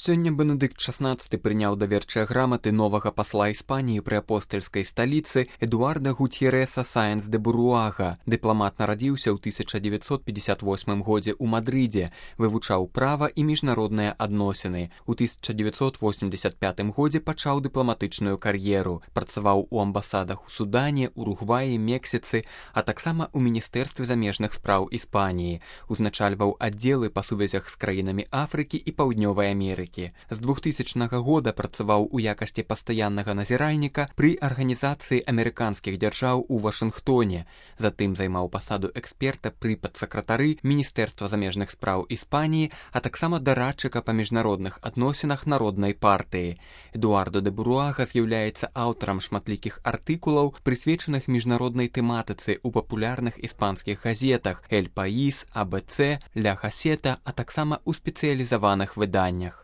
Сёння Бенедыкт XVI прыняў даверчыя граматы новага пасла Іспаніі пры апостальскай сталіцы Эдуарда Гутьереса Саенс де Буруага. Дыпламат нарадзіўся ў 1958 годзе ў Мадрыдзе, вывучаў права і міжнародныя адносіны. У 1985 годзе пачаў дыпламатычную кар'еру, працаваў у амбасадах у Судане, Уругваі, Мексіцы, а таксама ў Міністэрстве замежных спраў Іспаніі. Узначальваў аддзелы па сувязях з краінамі Афрыкі і Паўднёвай Амерыкі. З 2000 года працаваў у якасці пастаяннага назіральніка пры арганізацыі амерыканскіх дзяржаў у Вашынгтоне. Затым займаў пасаду эксперта пры падсакратары Міністэрства замежных спраў Іспаніі, а таксама дарадчыка па міжнародных адносінах народнай партыі. Эдуардо де Буруага з'яўляецца аўтарам шматлікіх артыкулаў, прысвечаных міжнароднай тэматыцы ў папулярных іспанскіх газетах «Эль Паís», «АБЦ», «Ля Газета», а таксама ў спецыялізаваных выданнях.